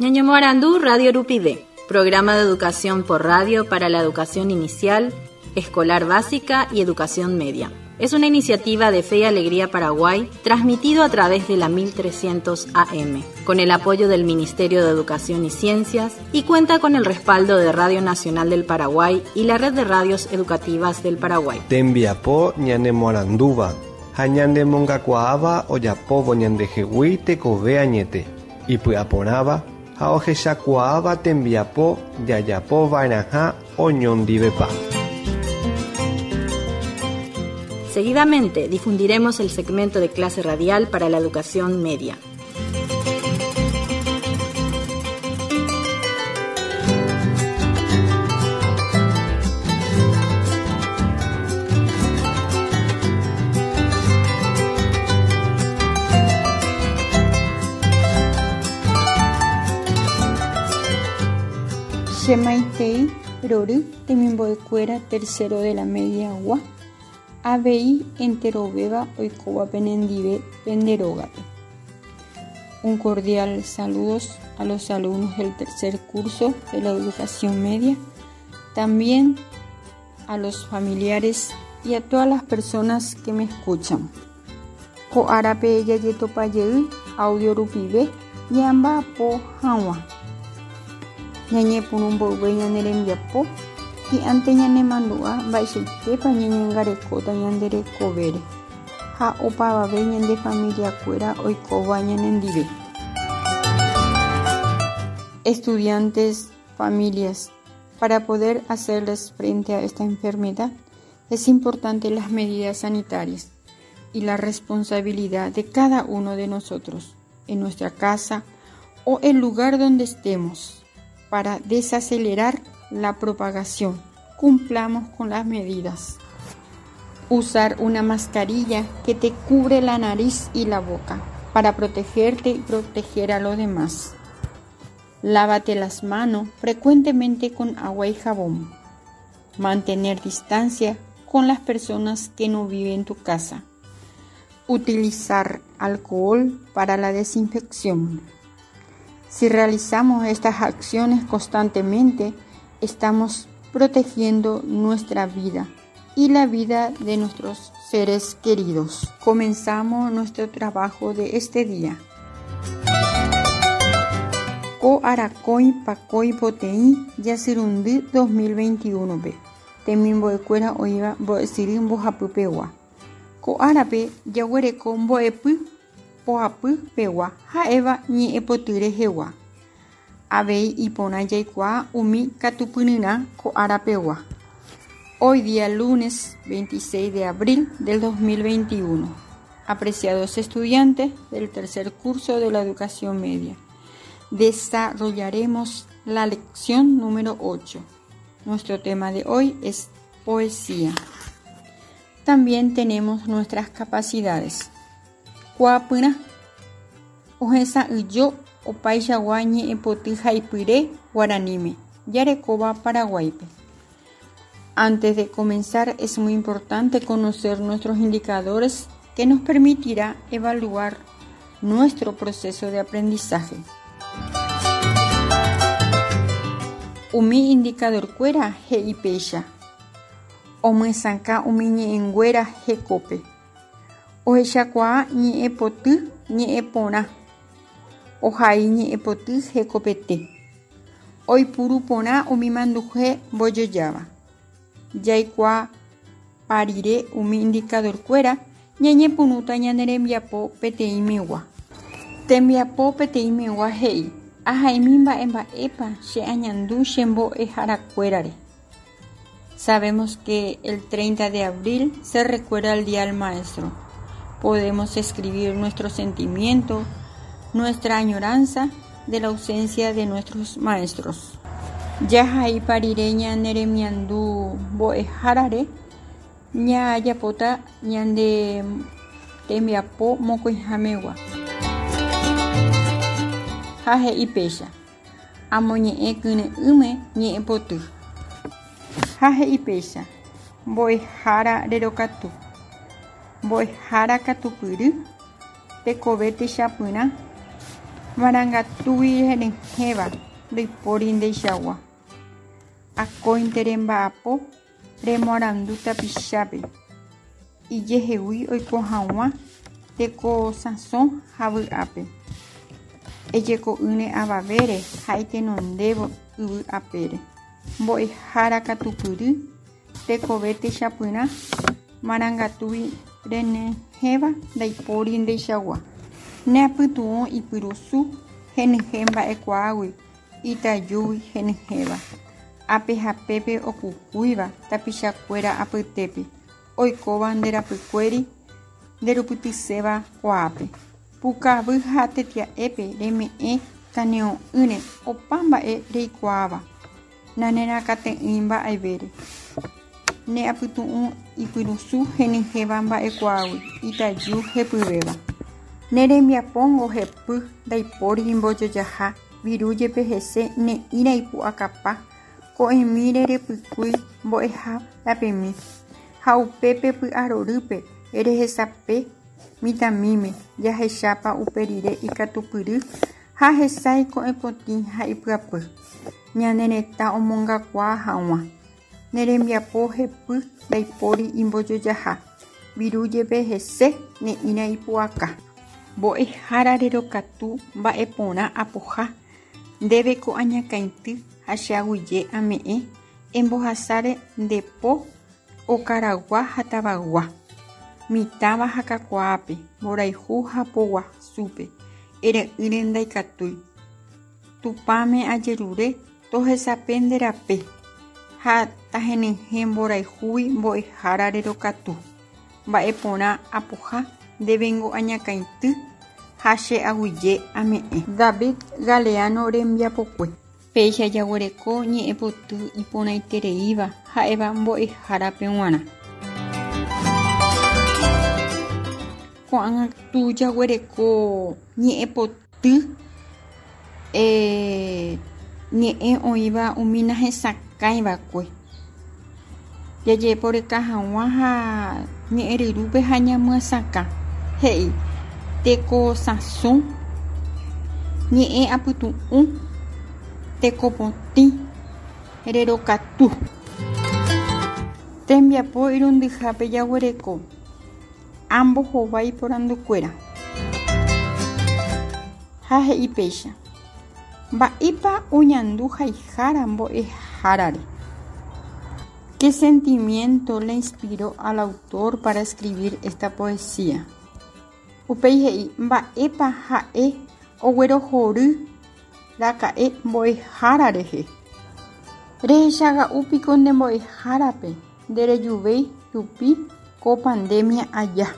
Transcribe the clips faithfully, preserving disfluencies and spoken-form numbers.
Ñañomoarandu Radio Rupive, programa de educación por radio para la educación inicial, escolar básica y educación media. Es una iniciativa de Fe y Alegría Paraguay, transmitido a través de la mil trescientos A M, con el apoyo del Ministerio de Educación y Ciencias, y cuenta con el respaldo de Radio Nacional del Paraguay y la Red de Radios Educativas del Paraguay. Tembiapo ñanemoarandúva, ha ñanemongakuaáva ojapóvo ñandehegui tekove añete, ipy'aporãva ha ohechakuaáva tembiapo jajapova'erãha oñondivepa. Seguidamente difundiremos el segmento de clase radial para la educación media. Chemaitei, Rory, Temimboecuera, tercero de la media agua. A B I enteroveva oikova penendive penderógape. Un cordial saludos a los alumnos del tercer curso de la educación media, también a los familiares y a todas las personas que me escuchan. Ko árape yayetopayey audio rupive ñamba po hag̃ua. Ñañepyrũmboyve ñane rembiapo hi'ánte ñanemandu'a mba'eichaitépa ñañangarekóta ñande rekovére ha opavave ñande familiakuéra oikóva ñanendive. Estudiantes, familias, para poder hacerles frente a esta enfermedad es importante las medidas sanitarias y la responsabilidad de cada uno de nosotros en nuestra casa o el lugar donde estemos para desacelerar la propagación. Cumplamos con las medidas. Usar una mascarilla que te cubre la nariz y la boca para protegerte y proteger a los demás. Lávate las manos frecuentemente con agua y jabón. Mantener distancia con las personas que no viven en tu casa. Utilizar alcohol para la desinfección. Si realizamos estas acciones constantemente, estamos protegiendo nuestra vida y la vida de nuestros seres queridos. Comenzamos nuestro trabajo de este día. Ko arakõi pakõi poteĩ jasyrundy dos mil veintiuno pe. Temimbo'ekuéra oĩva mbo'esyry mbohapypegua. Ko árape jaguereko mbo'epy poapypegua ha'éva ñe'ẽpoty rehegua. Avei iporã jaikuaa umi katupyryrã ko árapegua. Hoy día lunes veintiséis de abril del dos mil veintiuno. Apreciados estudiantes del tercer curso de la educación media, desarrollaremos la lección número ocho. Nuestro tema de hoy es poesía. También tenemos nuestras capacidades. Kuapyrã. Ohesa'ỹjo opaichagua ñe'ẽpoty haipyre guaraníme jarekóva Paraguáipe. Antes de comenzar es muy importante conocer nuestros indicadores que nos permitirá evaluar nuestro proceso de aprendizaje. Umi indicadorkuéra he'ipéicha. Omyesakã umi ñe'ẽnguéra hekópe. Ohechakuaa ñe'ẽpoty ñe'ẽporã. Ohai ñe'ẽpoty hekopete. Oipuru porã umi manduhe mbojojáva. Jaikuaa parire umi indicadorkuéra ñañepyrũta ñane rembiapo peteĩmegua. Tembiapo peteĩmegua he'i ahaimi mba'emba'épa che añandu che mbo'eharakuérare. Sabemos que el treinta de abril se recuerda el Día del Maestro. Podemos escribir nuestro sentimiento, nuestra añoranza de la ausencia de nuestros maestros. Jahai parire ñaneremiandu mbo'ehárare ñajapóta ñande tembiapo mokõihamegua. Ha he'i péicha amoñe'ẽ kyre'ỹme ñe'ẽpoty. Ha he'i péicha mbo'ehára rerokatu. Mbo'ehára katupyry tekove techapyrã Marangatúgui henyhẽva ndaipóri ndeichagua. Akóinte remba'apo remoarandu tapichápe ijehegui oiko hag̃ua tekosãso ha vy'ápe. Ejeko'ỹre avavére ha itenondévo yvy apére. Mbo'ehára katupyry tekove techapyrã marangatúgui renyhẽva ndaipóri ndeichagua. Ne apytu'ũ ipyrusu henyhẽ mba'ekuaágui itajúgui henyhẽva. Ápe ha pépe okukúiva tapichakuéra apytépe oikóva nde rapykuéri nderupytyséva kuaápe. Pukavy ha tetia'épe reme'ẽ kane'õ'ỹre opa mba'e reikuaáva nanerakate'ỹi mba'evére. Ne apytu'ũ ipyrusu henyhẽva mba'ekuaágui itaju hepyvéva. Ne rembiapóngo hepy ndaipóri imbojojaha viru jepe hese ne'ĩra ipu'akapa ko'ẽmíre repykúi mbo'eharapemi ha upépe py'arorýpe rehesape mitãmíme jahechápa uperire ikatupyry ha hesãi ko'ẽpotĩ ha ipyapy. Ñane retã omongakuaa hag̃ua. Ne rembiapo hepy ndaipóri imbojojaha viru jepe hese ne'ĩra ipu'aka. Mbo'ehára rerokatu mba'eporã apoha ndéveko añakãity ha che aguyje ame'ẽ embohasáre nde po okaragua ha tavaygua. Mitãva ha kakuaápe mborayhu ha poguasúpe ere'ỹre ndaikatúi. Tupãme ajerure tohesape nde rape ha tahenyhẽ mborayhúgui mbo'ehára rerokatu. Mba'eporã apoha ndévengo añakãity ha che aguyje ame'ẽ. David Galeano rembiapokue. Péicha jaguereko ñe'ẽpoty iporãitereíva ha'éva mbo'ehárape g̃uarã. Ko'ág̃a jaguereko ñe'ẽpoty eh, ñe'ẽ oĩva umi nahesakãiva'ekue. Jajeporeka hag̃ua ha ñe'ẽryrúpe ha ñamyasakã. He'i tekosãso, ñe'ẽ apytu'ũ, tekopotĩ, rerokatu. Tembiapo irundyhápe jaguereko ambohovái porandukuéra. Ha he'i péicha. Mba'épa oñandu haihára mbo'ehárare. ¿Qué sentimiento le inspiró al autor para escribir esta poesía? Upéi he'i mba'épa ha'e oguerohory raka'e mbo'ehára rehe. Rehechaga'úpiko nde mbo'ehárape nderejuvéi rupi ko pandemia aja.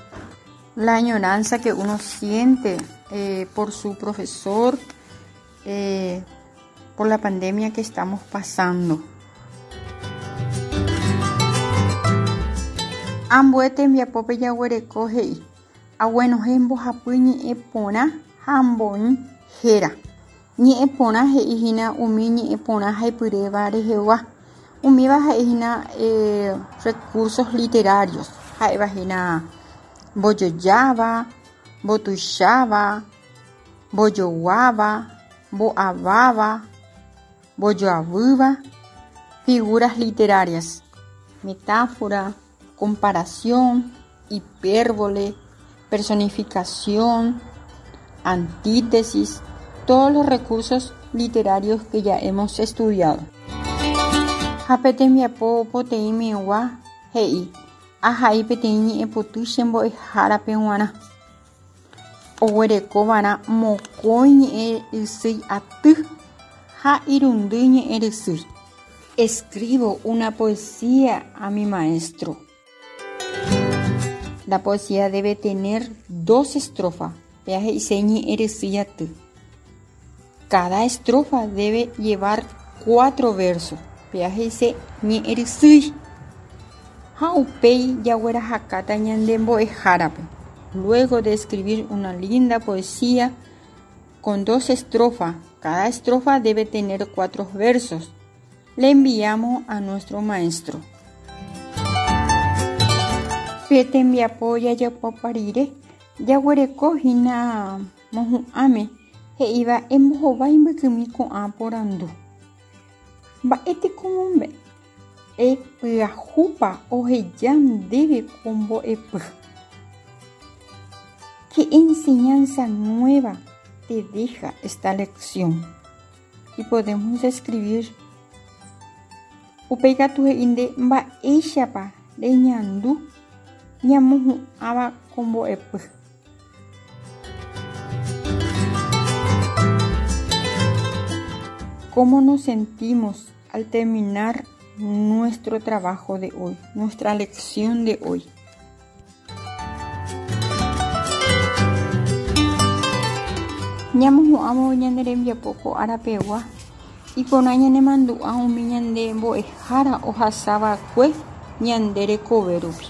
La añoranza que uno siente eh, por su profesor, eh, por la pandemia que estamos pasando. Ambue tembiapópe jaguereko he'i aguenohẽ mbohapy ñe'ẽporã ha mboĩ héra. Ñe'ẽporã he'íhína umi ñe'ẽporã haipyréva rehegua. Umíva ha'ehína eh, recursos literarios. Ha'evahína mbojojáva, mbotuicháva, mbojoguáva, mbo'aváva, mbojoavýva, figuras literarias, metáfora, comparación, hipérbole, personificación, antítesis, todos los recursos literarios que ya hemos estudiado. Ha pe tembiapo poteĩmegua he'i ahai peteĩ ñe'ẽpoty che mbo'ehárape g̃uarã. Oguerekova'erã mokõi ñe'ẽrysýi aty ha irundy ñe'ẽrysýi. Escribo una poesía a mi maestro. La poesía debe tener dos estrofas. Péa he'ise ñe'ẽrysýi aty. Cada estrofa debe llevar cuatro versos. Péa he'ise ñe'ẽrysýi. Ha upéi jaguerahakáta ñande mbo'ehárape. Luego de escribir una linda poesía con dos estrofas, cada estrofa debe tener cuatro versos. Le enviamos a nuestro maestro. Pe tembiapo jajapopa rire jaguereko hína mohu'ãme He'íva embohovái mbykymi ko'ã porandu. Mba'éteko mombe'e pyahúpa oheja ndéve ko mbo'epy. ¿Qué enseñanza nueva te deja esta lección? Y podemos escribir upéi katu he'i nde mba'éichapa reñandu ñamohu'ãva ko mbo'epy. ¿Cómo nos sentimos al terminar nuestro trabajo de hoy, nuestra lección de hoy? Ñamohu'ãvo ñane rembiapo ko arapegua iporã ñanemandu'a umi ñande mbo'ehára ohasava'ekue ñande rekove rupi.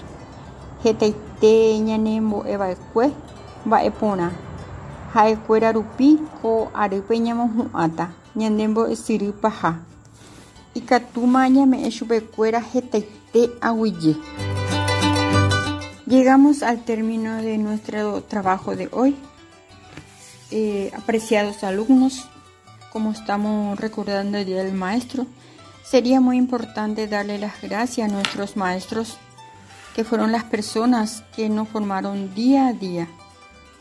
Hetaite ñanembo'eva'ekue mba'eporã ha'ekuéra rupi ko arýpe ñamohu'ãta ñande mbo'esyry paha. Ikatúma ñame'ẽ chupekuéra hetaite aguyje. Llegamos al término de nuestro trabajo de hoy. Eh, apreciados alumnos, como estamos recordando el Día del Maestro, sería muy importante darle las gracias a nuestros maestros, que fueron las personas que nos formaron día a día,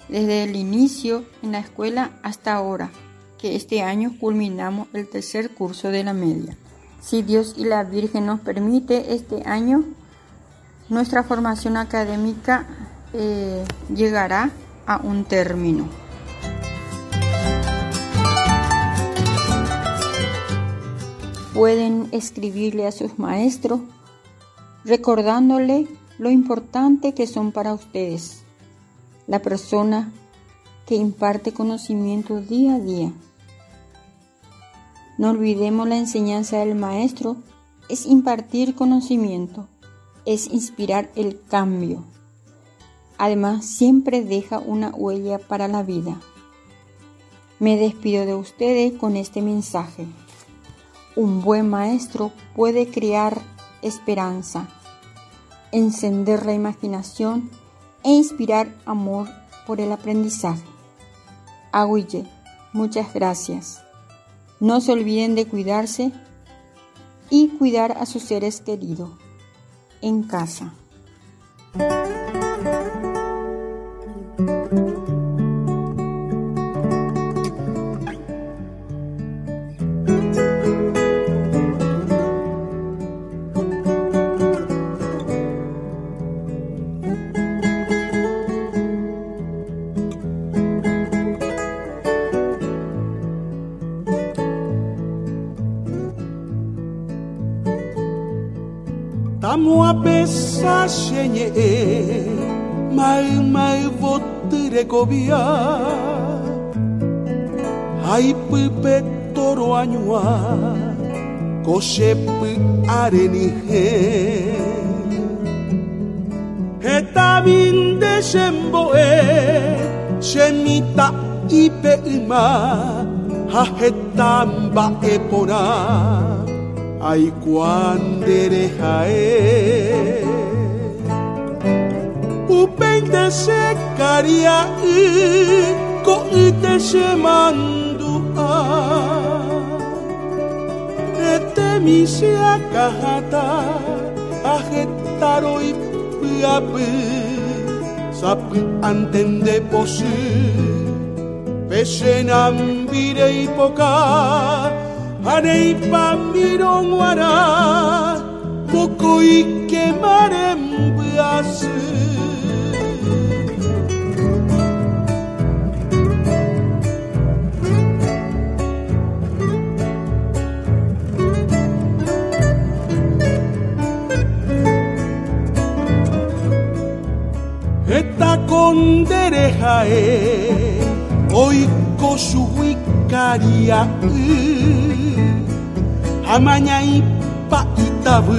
desde el inicio en la escuela hasta ahora, que este año culminamos el tercer curso de la media. Si Dios y la Virgen nos permite, este año nuestra formación académica eh, llegará a un término. Pueden escribirle a sus maestros recordándole lo importante que son para ustedes, la persona que imparte conocimiento día a día. No olvidemos la enseñanza del maestro es impartir conocimiento, es inspirar el cambio. Además, siempre deja una huella para la vida. Me despido de ustedes con este mensaje. Un buen maestro puede crear esperanza, encender la imaginación e inspirar amor por el aprendizaje. Aguyje, muchas gracias. No se olviden de cuidarse y cuidar a sus seres queridos en casa. Tamo a pesa xeñe mai mai votere kobia Ai pupe toro añua koxe pu arenije Heta binde xemboe xemita ipe yma ha heta mba'e porã Ay cuandere jae Upente se caria y coite se mandua Ete misia cajata ajetaro y puapu Sapu antende posu Pesenambire y poca Anei pa mironguara Pokoi kemarem buasu Eta kondere jae Oiko suhuikaria Amaña ipa itabu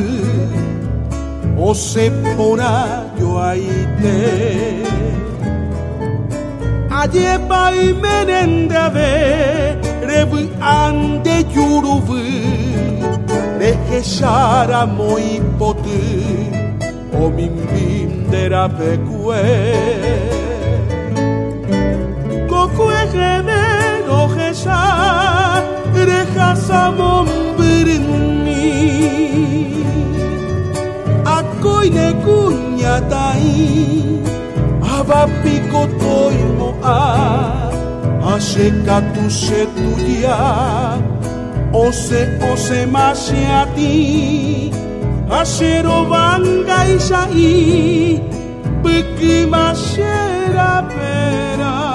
Ose pora yo aite Ayepa y merendave Rebu ande yurubu Rejeshara moipotu Omimbindera pecue Kokue gemero Akoine kuñatai Abapiko toimo'a Ashekatu shetuya Ose ose mashiati Ashero banga ishai Pukima shera pera.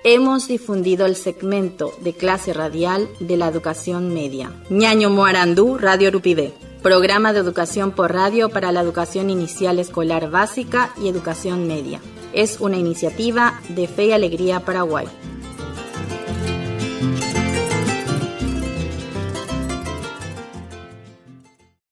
Hemos difundido el segmento de clase radial de la educación media. Ñaño Moarandú, Radio Rupivé. Programa de educación por radio para la educación inicial escolar básica y educación media. Es una iniciativa de Fe y Alegría Paraguay.